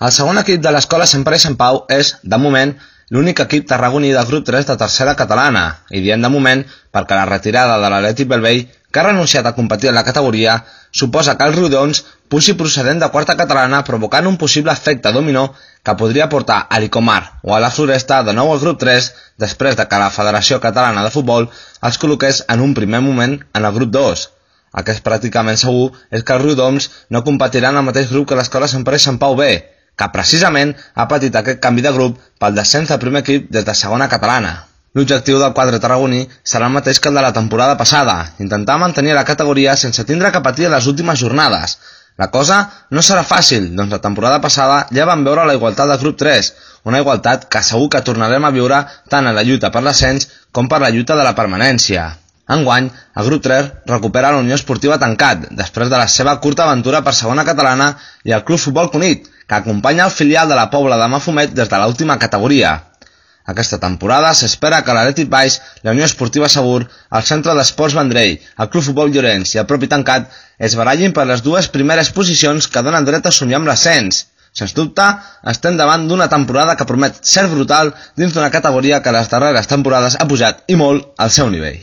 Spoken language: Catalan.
El segon equip de l'Escola Sant Pere i Sant Pau és, de moment, l'únic equip tarragoní del grup 3 de tercera catalana, i diem de moment perquè la retirada de l'Atlètic Bellvei, que ha renunciat a competir en la categoria, suposa que el Riudoms pugi procedent de quarta catalana provocant un possible efecte dominó que podria portar a l'Icomar o a la Floresta de nou al grup 3 després de que la Federació Catalana de Futbol els col·loqués en un primer moment en el grup 2. El que és pràcticament segur és que el Riudoms no competirà en el mateix grup que l'Escola Sant Pere i Sant Pau B, que precisament ha patit aquest canvi de grup pel descens del primer equip des de segona catalana. L'objectiu del quadre tarragoní serà el mateix que el de la temporada passada, intentar mantenir la categoria sense tindre que patir a les últimes jornades. La cosa no serà fàcil, doncs la temporada passada ja vam veure la igualtat del grup 3, una igualtat que segur que tornarem a viure tant en la lluita per l'ascens com per la lluita de la permanència. Enguany, el grup 3 recupera la Unió Esportiva Tancat, després de la seva curta aventura per segona catalana, i el Club Futbol Cunit, que acompanya el filial de la Pobla de Mafumet des de l'última categoria. Aquesta temporada s'espera que l'Atlètic Baix, la Unió Esportiva Segur, el Centre d'Esports Vendrell, el Club Futbol Llorenç i el propi Tancat es barallin per les dues primeres posicions que donen dret a somiar amb l'ascens. Sens dubte, estem davant d'una temporada que promet ser brutal dins d'una categoria que les darreres temporades ha pujat i molt al seu nivell.